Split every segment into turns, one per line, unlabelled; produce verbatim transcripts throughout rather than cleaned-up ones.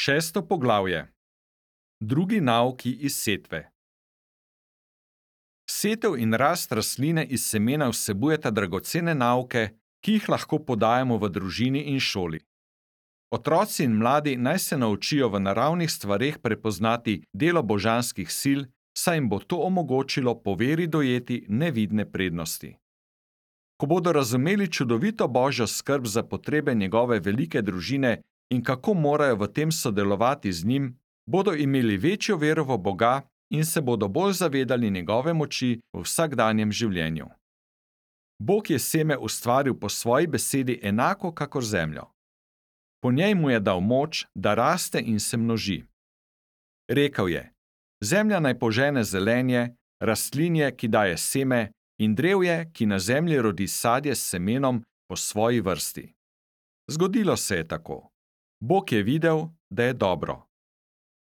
Šesto poglavje. Drugi nauki iz setve. Setev in rast rastline iz semena vsebujeta dragocene nauke, ki jih lahko podajamo v družini in šoli. Otroci in mladi naj se naučijo v naravnih stvareh prepoznati delo božanskih sil, saj jim bo to omogočilo po veri dojeti nevidne prednosti. Ko bodo razumeli čudovito božjo skrb za potrebe njegove velike družine in kako morajo v tem sodelovati z njim, bodo imeli večjo vero v Boga in se bodo bolj zavedali njegove moči v vsakdanjem življenju. Bog je seme ustvaril po svoji besedi enako kakor zemljo. Po njej mu je dal moč, da raste in se množi. Rekel je: zemlja naj požene zelenje, rastlinje, ki daje seme, in drevje, ki na zemlji rodi sadje s semenom po svoji vrsti. Zgodilo se je tako. Bog je videl, da je dobro.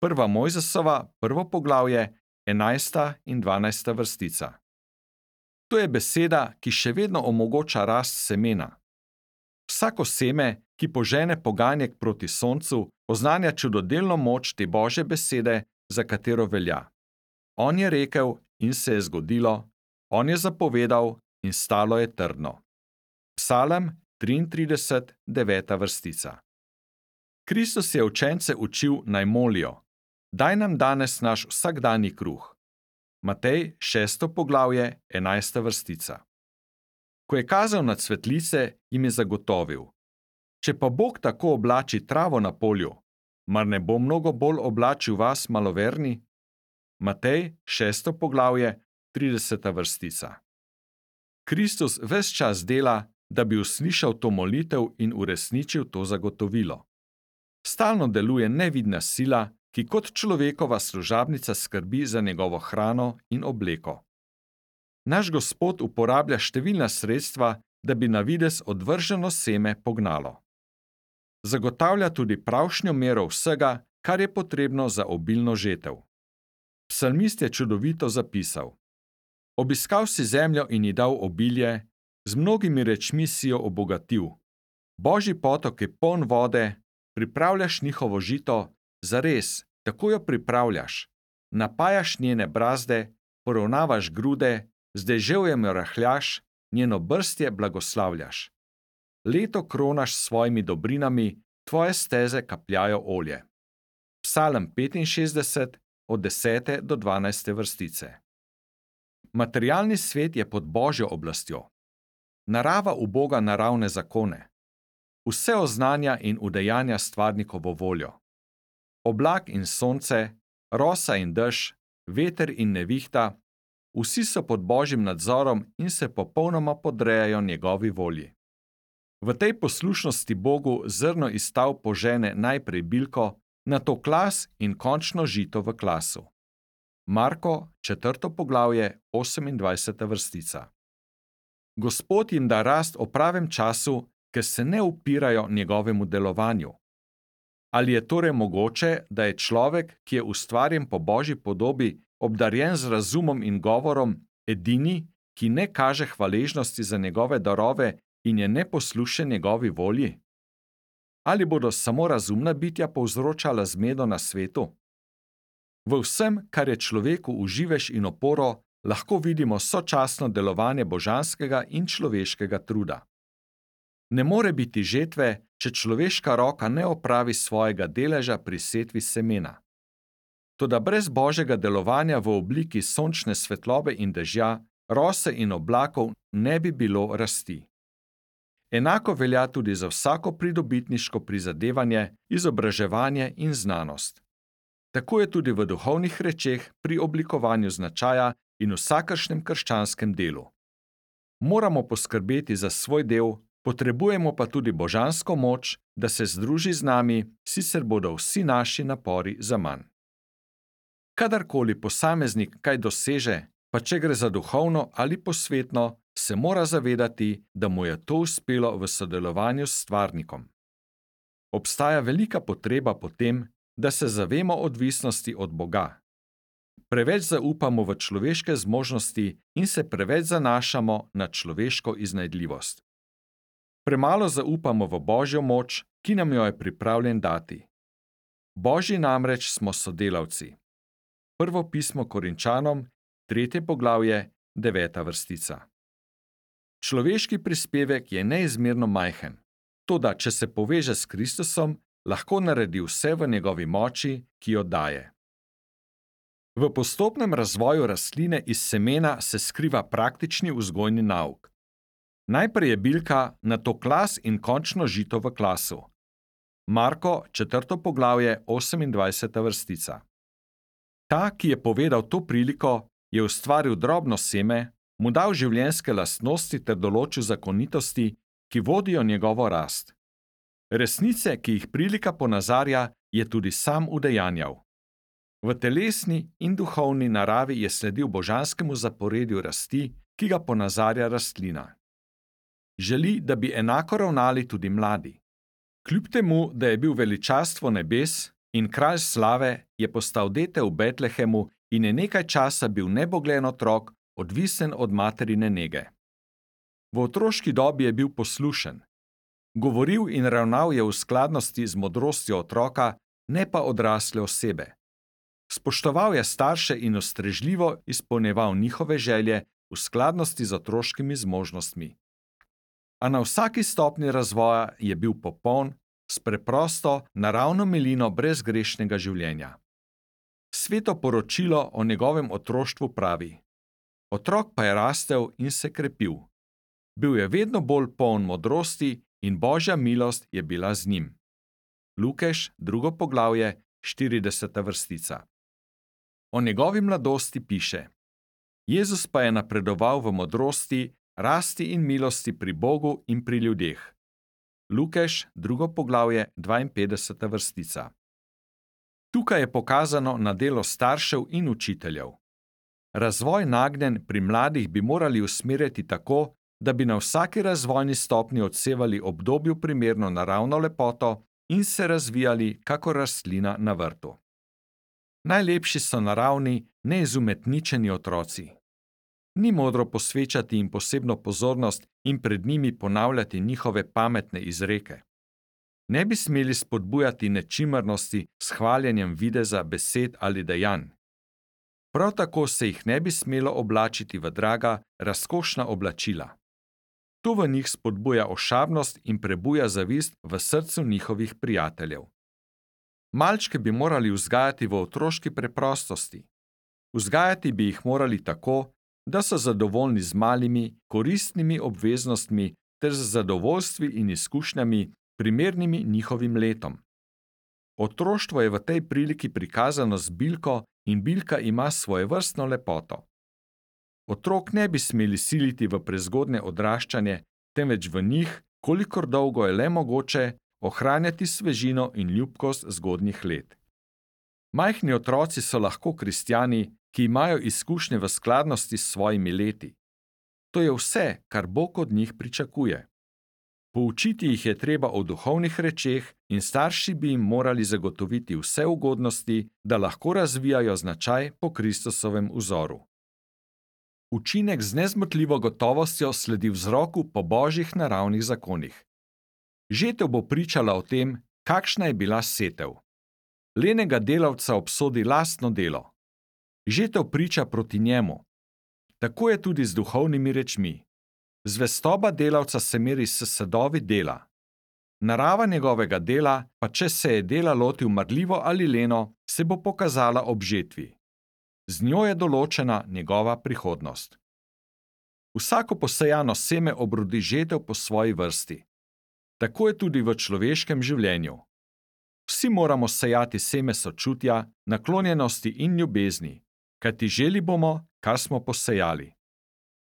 Prva Mojzesova, prvo poglavje, enajsta in dvanajsta vrstica. To je beseda, ki še vedno omogoča rast semena. Vsako seme, ki požene poganjek proti soncu, oznanja čudodelno moč te Božje besede, za katero velja. On je rekel in se je zgodilo, on je zapovedal in stalo je trdno. Psalem triintrideset, deveta vrstica. Kristus je učence učil, naj molijo: daj nam danes naš vsakdanji kruh. Matej šesto poglavje, enajsta vrstica. Ko je kazal na cvetlice, jim je zagotovil: če pa Bog tako oblači travo na polju, mar ne bo mnogo bolj oblačil vas, maloverni? Matej šesto poglavje, trideseta vrstica. Kristus ves čas dela, da bi uslišal to molitev in uresničil to zagotovilo. Stalno deluje nevidna sila, ki kot človekova služabnica skrbi za njegovo hrano in obleko. Naš Gospod uporablja številna sredstva, da bi na videz odvrženo seme pognalo. Zagotavlja tudi pravšnjo mero vsega, kar je potrebno za obilno žetev. Psalmist je čudovito zapisal: obiskal si zemljo in ji dal obilje, z mnogimi rečmi si jo obogatil. Božji potok je poln vode, pripravljaš njihovo žito, zares, tako jo pripravljaš, napajaš njene brazde, poravnavaš grude, z deževjem jo rahljaš, njeno brstje blagoslavljaš. Leto kronaš s svojimi dobrinami, tvoje steze kapljajo olje. Psalem petinšestdeset, od desete do dvanajste vrstice. Materialni svet je pod Božjo oblastjo. Narava uboga naravne zakone. Vse oznanja in udejanja stvarnikovo voljo. Oblak in sonce, rosa in dež, veter in nevihta, vsi so pod Božjim nadzorom in se popolnoma podrejajo njegovi volji. V tej poslušnosti Bogu zrno iz stav požene najprej bilko, nato klas in končno žito v klasu. Marko, četrto poglavje, osemindvajseta vrstica. Gospod jim da rast o pravem času, ker se ne upirajo njegovemu delovanju. Ali je torej mogoče, da je človek, ki je ustvarjen po Božji podobi, obdarjen z razumom in govorom, edini, ki ne kaže hvaležnosti za njegove darove in je neposlušen njegovi volji? Ali bodo samo razumna bitja povzročala zmedo na svetu? V vsem, kar je človeku v živež in oporo, lahko vidimo sočasno delovanje božanskega in človeškega truda. Ne more biti žetve, če človeška roka ne opravi svojega deleža pri setvi semena. Toda brez Božjega delovanja v obliki sončne svetlobe in dežja, rose in oblakov ne bi bilo rasti. Enako velja tudi za vsako pridobitniško prizadevanje, izobraževanje in znanost. Tako je tudi v duhovnih rečeh pri oblikovanju značaja in vsakršnem krščanskem delu. Moramo poskrbeti za svoj del, potrebujemo pa tudi božansko moč, da se združi z nami, sicer bodo vsi naši napori zaman. Kadarkoli posameznik kaj doseže, pa če gre za duhovno ali posvetno, se mora zavedati, da mu je to uspelo v sodelovanju s stvarnikom. Obstaja velika potreba po tem, da se zavemo odvisnosti od Boga. Preveč zaupamo v človeške zmožnosti in se preveč zanašamo na človeško iznajdljivost. Premalo zaupamo v Božjo moč, ki nam jo je pripravljen dati. Božji namreč smo sodelavci. Prvo pismo Korinčanom, tretje poglavje, deveta vrstica. Človeški prispevek je neizmerno majhen, toda če se poveže s Kristusom, lahko naredi vse v njegovi moči, ki jo daje. V postopnem razvoju rastline iz semena se skriva praktični vzgojni nauk. Najprej je bilka, nato klas in končno žito v klasu. Marko, četrto poglavje, osemindvajseta vrstica. Ta, ki je povedal to priliko, je ustvaril drobno seme, mu dal življenjske lastnosti ter določil zakonitosti, ki vodijo njegovo rast. Resnice, ki jih prilika ponazarja, je tudi sam udejanjal. V telesni in duhovni naravi je sledil božanskemu zaporedju rasti, ki ga ponazarja rastlina. Želi, da bi enako ravnali tudi mladi. Kljub temu, da je bil veličastvo nebes in kralj slave, je postal dete v Betlehemu in je nekaj časa bil nebogljen otrok, odvisen od materine nege. V otroški dobi je bil poslušen. Govoril in ravnal je v skladnosti z modrostjo otroka, ne pa odrasle osebe. Spoštoval je starše in ustrežljivo izpolnjeval njihove želje v skladnosti z otroškimi zmožnostmi. A na vsaki stopnji razvoja je bil popoln, s preprosto, naravno milino brezgrešnega življenja. Sveto poročilo o njegovem otroštvu pravi: otrok pa je rastel in se krepil. Bil je vedno bolj poln modrosti in Božja milost je bila z njim. Lukeš, drugo poglavje, štirideseta vrstica. O njegovi mladosti piše: Jezus pa je napredoval v modrosti, rasti in milosti pri Bogu in pri ljudeh. Lukeš, drugo poglavje, dvainpetdeseta vrstica. Tukaj je pokazano na delo staršev in učiteljev. Razvoj nagnjen pri mladih bi morali usmerjati tako, da bi na vsaki razvojni stopnji odsevali obdobju primerno naravno lepoto in se razvijali kakor rastlina na vrtu. Najlepši so naravni, neizumetničeni otroci. Ni modro posvečati jim posebno pozornost in pred njimi ponavljati njihove pametne izreke. Ne bi smeli spodbujati nečimrnosti s hvaljenjem videza, besed ali dejanj. Prav tako se jih ne bi smelo oblačiti v draga, razkošna oblačila. To v njih spodbuja ošabnost in prebuja zavist v srcu njihovih prijateljev. Malčke bi morali vzgajati v otroški preprostosti. Vzgajati bi jih morali tako, da so zadovoljni z malimi, koristnimi obveznostmi ter z zadovoljstvi in izkušnjami, primernimi njihovim letom. Otroštvo je v tej priliki prikazano z bilko in bilka ima svojevrstno lepoto. Otrok ne bi smeli siliti v prezgodnje odraščanje, temveč v njih, kolikor dolgo je le mogoče, ohranjati svežino in ljubkost zgodnjih let. Majhni otroci so lahko kristjani, ki imajo izkušnje v skladnosti s svojimi leti. To je vse, kar Bog od njih pričakuje. Poučiti jih je treba o duhovnih rečeh in starši bi jim morali zagotoviti vse ugodnosti, da lahko razvijajo značaj po Kristusovem vzoru. Učinek z nezmotljivo gotovostjo sledi vzroku po božjih naravnih zakonih. Žetev bo pričala o tem, kakšna je bila setev. Lenega delavca obsodi lastno delo. Žetev priča proti njemu. Tako je tudi z duhovnimi rečmi. Zvestoba delavca se meri s sadovi dela. Narava njegovega dela, pa če se je dela lotil marljivo ali leno, se bo pokazala ob žetvi. Z njo je določena njegova prihodnost. Vsako posejano seme obrodi žetev po svoji vrsti. Tako je tudi v človeškem življenju. Vsi moramo sejati seme sočutja, naklonjenosti in ljubezni, kajti želi bomo, kar smo posejali.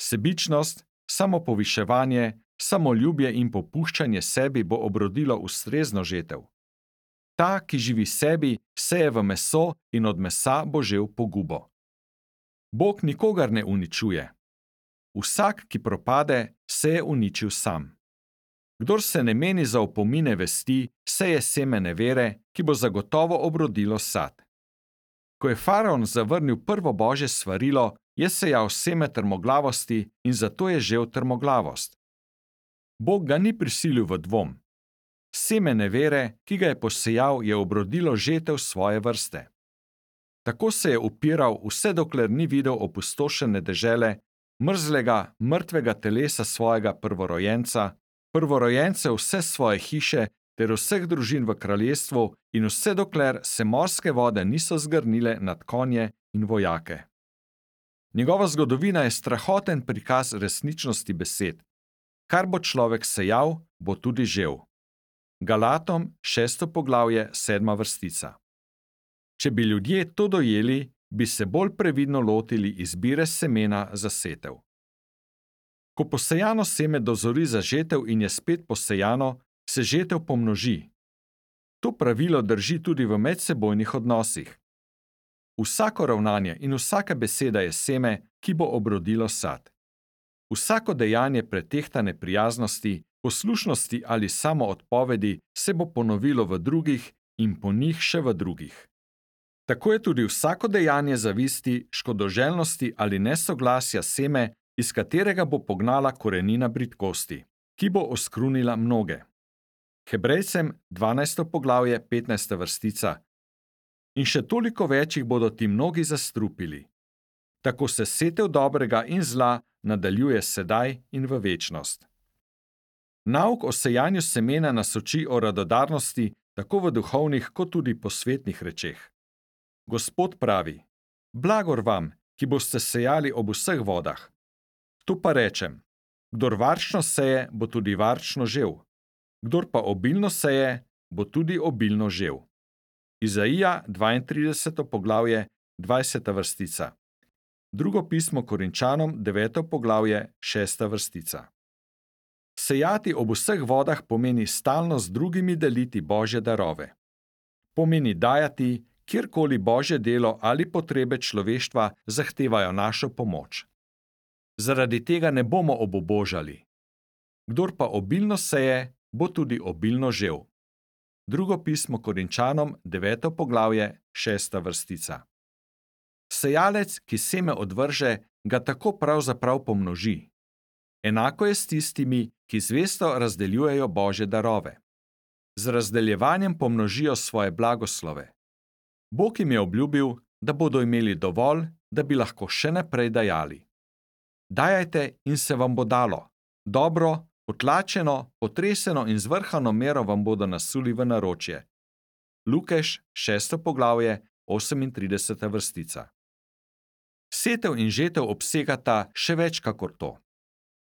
Sebičnost, samopoviševanje, samoljubje in popuščanje sebi bo obrodilo ustrezno žetev. Ta, ki živi sebi, seje v meso in od mesa bo žel pogubo. Bog nikogar ne uničuje. Vsak, ki propade, se je uničil sam. Kdor se ne meni za opomine vesti, seje seme nevere, ki bo zagotovo obrodilo sad. Ko je faraon zavrnil prvo božje svarilo, je sejal seme trmoglavosti in zato je žel trmoglavost. Bog ga ni prisilil v dvom. Seme nevere, ki ga je posejal, je obrodilo žetev svoje vrste. Tako se je upiral, vse dokler ni videl opustošene dežele, mrzlega, mrtvega telesa svojega prvorojenca, prvorojence vse svoje hiše ter vseh družin v kraljestvu in vse dokler se morske vode niso zgrnile nad konje in vojake. Njegova zgodovina je strahoten prikaz resničnosti besed. Kar bo človek sejal, bo tudi žel. Galatom, šesto poglavje, sedma vrstica. Če bi ljudje to dojeli, bi se bolj previdno lotili izbire semena za setev. Ko posejano seme dozori za žetev in je spet posejano, se žetev pomnoži. To pravilo drži tudi v medsebojnih odnosih. Vsako ravnanje in vsaka beseda je seme, ki bo obrodilo sad. Vsako dejanje pretehtane prijaznosti, poslušnosti ali samoodpovedi se bo ponovilo v drugih in po njih še v drugih. Tako je tudi vsako dejanje zavisti, škodoželjnosti ali nesoglasja seme, iz katerega bo pognala korenina bridkosti, ki bo oskrunila mnoge. Hebrejcem dvanajsto poglavje, petnajsta vrstica. In še toliko več jih bodo ti mnogi zastrupili. Tako se setev dobrega in zla nadaljuje sedaj in v večnost. Nauk o sejanju semena nas uči o radodarnosti, tako v duhovnih kot tudi posvetnih rečeh. Gospod pravi: Blagor vam, ki boste sejali ob vseh vodah. Tu pa rečem: kdor varčno seje, bo tudi varčno žel. Kdor pa obilno seje, bo tudi obilno žel. Izaija dvaintrideseto poglavje, dvajseta vrstica. Drugo pismo Korinčanom, deveto poglavje, šesta vrstica. Sejati ob vseh vodah pomeni stalno z drugimi deliti Božje darove. Pomeni dajati, kjerkoli Božje delo ali potrebe človeštva zahtevajo našo pomoč. Zaradi tega ne bomo obubožali. Kdor pa obilno seje, bo tudi obilno žel. Drugo pismo Korinčanom, deveto poglavje, šesta vrstica. Sejalec, ki seme odvrže, ga tako pravzaprav pomnoži. Enako je s tistimi, ki zvesto razdeljujejo Božje darove. Z razdeljevanjem pomnožijo svoje blagoslove. Bog jim je obljubil, da bodo imeli dovolj, da bi lahko še naprej dajali. Dajajte in se vam bo dalo. Dobro, potlačeno, potreseno in zvrhano mero vam bodo nasuli v naročje. Lukeš, šesto poglavje, osemintrideseta vrstica. Setev in žetev obsegata še več kakor to.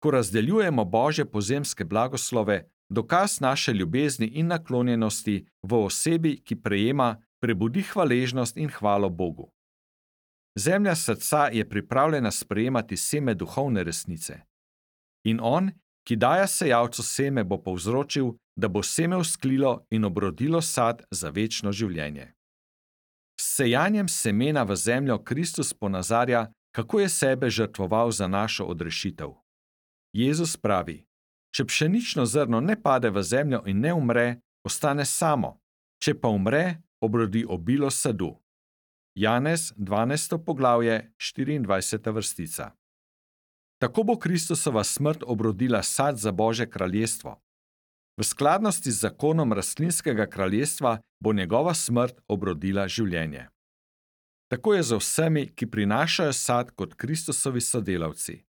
Ko razdeljujemo Božje pozemske blagoslove, dokaz naše ljubezni in naklonjenosti v osebi, ki prejema, prebudi hvaležnost in hvalo Bogu. Zemlja srca je pripravljena sprejemati seme duhovne resnice. In on, ki daje sejalcu seme, bo povzročil, da bo seme vzklilo in obrodilo sad za večno življenje. S sejanjem semena v zemljo Kristus ponazarja, kako je sebe žrtvoval za našo odrešitev. Jezus pravi: če pšenično zrno ne pade v zemljo in ne umre, ostane samo, če pa umre, obrodi obilo sadu. Janez dvanajsto poglavje, štiriindvajseta vrstica. Tako bo Kristusova smrt obrodila sad za Božje kraljestvo. V skladnosti z zakonom rastlinskega kraljestva bo njegova smrt obrodila življenje. Tako je za vsemi, ki prinašajo sad kot Kristusovi sodelavci.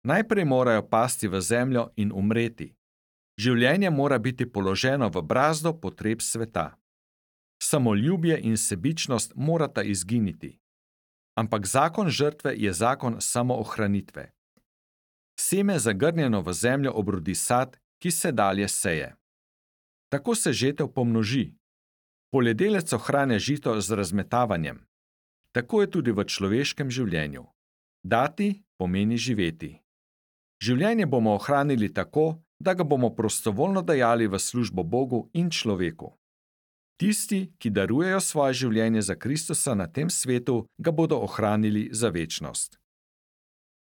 Najprej morajo pasti v zemljo in umreti. Življenje mora biti položeno v brazdo potreb sveta. Samoljubje in sebičnost morata izginiti. Ampak zakon žrtve je zakon samoohranitve. Seme zagrnjeno v zemljo obrodi sad, ki se dalje seje. Tako se žetev pomnoži. Poljedelec ohranja žito z razmetavanjem. Tako je tudi v človeškem življenju. Dati pomeni živeti. Življenje bomo ohranili tako, da ga bomo prostovoljno dajali v službo Bogu in človeku. Tisti, ki darujejo svoje življenje za Kristusa na tem svetu, ga bodo ohranili za večnost.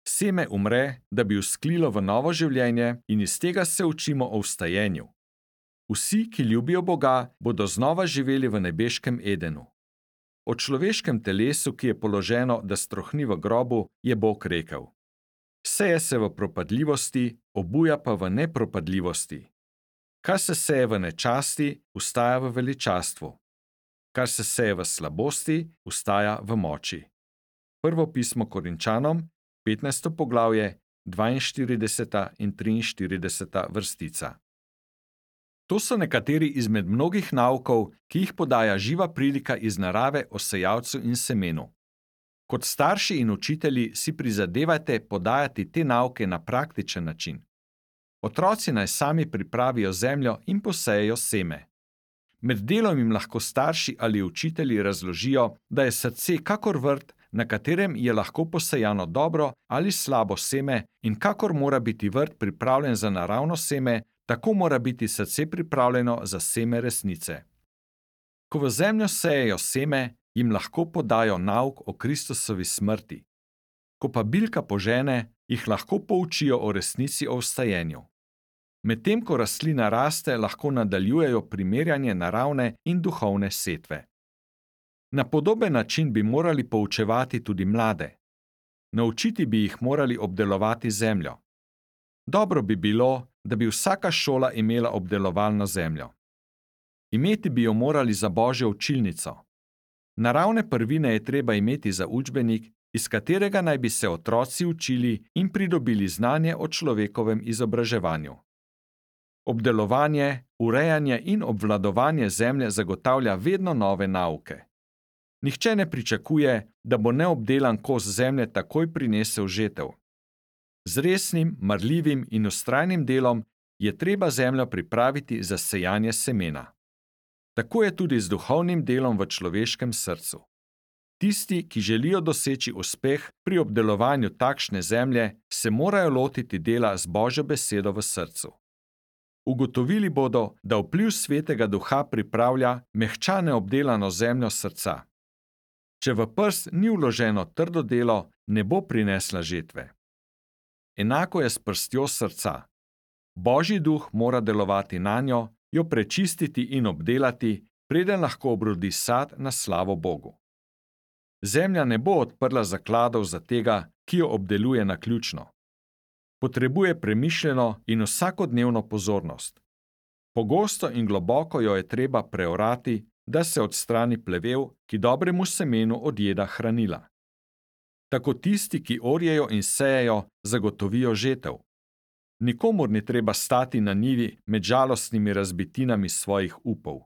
Seme umre, da bi vzklilo v novo življenje, in iz tega se učimo o vstajenju. Vsi, ki ljubijo Boga, bodo znova živeli v nebeškem Edenu. O človeškem telesu, ki je položeno, da strohni v grobu, je Bog rekel: seje se v propadljivosti, obuja pa v nepropadljivosti. Kar se seje v nečasti, ustaja v veličastvu. Kar se seje v slabosti, ustaja v moči. Prvo pismo Korinčanom, petnajsto poglavje, dvainštirideseta in triinštirideseta vrstica. To so nekateri izmed mnogih naukov, ki jih podaja živa prilika iz narave o sejalcu in semenu. Kot starši in učitelji si prizadevajte podajati te nauke na praktičen način. Otroci naj sami pripravijo zemljo in posejejo seme. Med delom jim lahko starši ali učitelji razložijo, da je srce kakor vrt, na katerem je lahko posejano dobro ali slabo seme, in kakor mora biti vrt pripravljen za naravno seme, tako mora biti srce pripravljeno za seme resnice. Ko v zemljo sejejo seme, jim lahko podajo nauk o Kristusovi smrti. Ko pa bilka požene, jih lahko poučijo o resnici o vstajenju. Medtem ko rastlina raste, lahko nadaljujejo primerjanje naravne in duhovne setve. Na podoben način bi morali poučevati tudi mlade. Naučiti bi jih morali obdelovati zemljo. Dobro bi bilo, da bi vsaka šola imela obdelovalno zemljo. Imeti bi jo morali za Božjo učilnico. Naravne prvine je treba imeti za učbenik, iz katerega naj bi se otroci učili in pridobili znanje o človekovem izobraževanju. Obdelovanje, urejanje in obvladovanje zemlje zagotavlja vedno nove nauke. Nihče ne pričakuje, da bo neobdelan kos zemlje takoj prinesel žetev. Z resnim, marljivim in vztrajnim delom je treba zemljo pripraviti za sejanje semena. Tako je tudi z duhovnim delom v človeškem srcu. Tisti, ki želijo doseči uspeh pri obdelovanju takšne zemlje, se morajo lotiti dela z Božjo besedo v srcu. Ugotovili bodo, da vpliv Svetega Duha pripravlja mehčane obdelano zemljo srca. Če v prst ni vloženo trdo delo, ne bo prinesla žetve. Enako je s prstjo srca. Božji duh mora delovati nanjo, jo prečistiti in obdelati, preden lahko obrodi sad na slavo Bogu. Zemlja ne bo odprla zakladov za tega, ki jo obdeluje naključno. Potrebuje premišljeno in vsakodnevno pozornost. Pogosto in globoko jo je treba preorati, da se odstrani plevel, ki dobremu semenu odjeda hranila. Tako tisti, ki orjejo in sejejo, zagotovijo žetev. Nikomur ni treba stati na njivi med žalostnimi razbitinami svojih upov.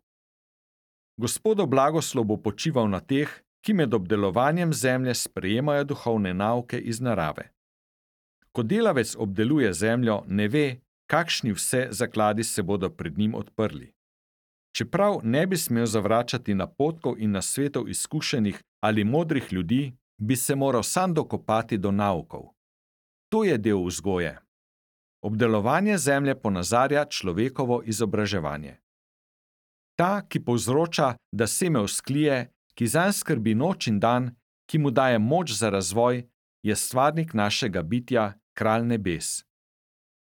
Gospodov blagoslov bo počival na teh, ki med obdelovanjem zemlje sprejemajo duhovne nauke iz narave. Ko delavec obdeluje zemljo, ne ve, kakšni vse zakladi se bodo pred njim odprli. Čeprav ne bi smel zavračati napotkov in nasvetov izkušenih ali modrih ljudi, bi se moral sam dokopati do naukov. To je del vzgoje. Obdelovanje zemlje ponazarja človekovo izobraževanje. Ta, ki povzroča, da seme vzklije, ki zanj skrbi noč in dan, ki mu daje moč za razvoj, je stvarnik našega bitja, kralj nebes.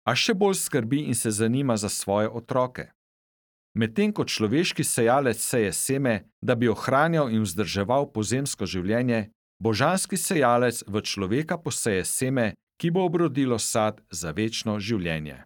A še bolj skrbi in se zanima za svoje otroke. Medtem ko človeški sejalec seje seme, da bi ohranjal in vzdrževal pozemsko življenje, božanski sejalec v človeka poseje seme, ki bo obrodilo sad za večno življenje.